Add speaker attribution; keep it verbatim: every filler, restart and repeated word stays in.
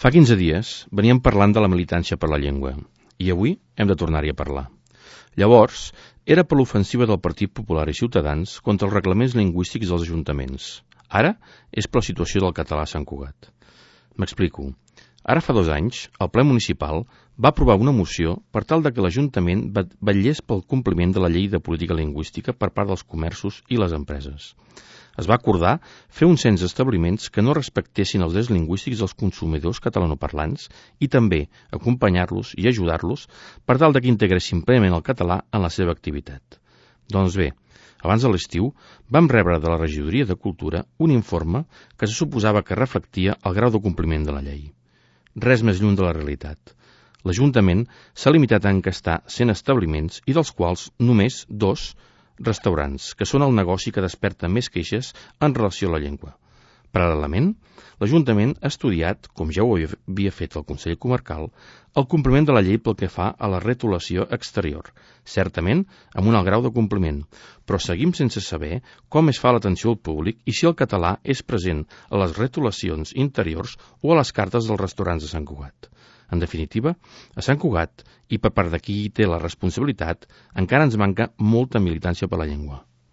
Speaker 1: Fa quinze dies veníem parlant de la militància per la llengua i avui hem de tornar-hi a parlar. Llavors, era per l'ofensiva del Partit Popular i Ciutadans contra els reglaments lingüístics dels ajuntaments. Ara és per la situació del català a Sant Cugat. M'explico. Ara fa dos anys, el ple municipal va aprovar una moció per tal de que l'Ajuntament vetllés pel compliment de la llei de política lingüística per part dels comerços i les empreses. Es va acordar fer un cens d'establiments que no respectessin els drets lingüístics dels consumidors catalanoparlants i també acompanyar-los i ajudar-los per tal de que integressin plenament el català en la seva activitat. Doncs bé, abans de l'estiu vam rebre de la Regidoria de Cultura un informe que se suposava que reflectia el grau de compliment de la llei. Res més lluny de la realitat. L'Ajuntament s'ha limitat a encastar cent establiments i dels quals només dos restaurants, que són el negoci que desperta més queixes en relació a la llengua. Paral·lelament, l'Ajuntament ha estudiat, com ja ho havia fet el Consell Comarcal, el compliment de la llei pel que fa a la retolació exterior, certament amb un alt grau de compliment, però seguim sense saber com es fa l'atenció al públic i si el català és present a les retolacions interiors o a les cartes dels restaurants de Sant Cugat. En definitiva, a Sant Cugat, i per part de qui té la responsabilitat, encara ens manca molta militància per la llengua.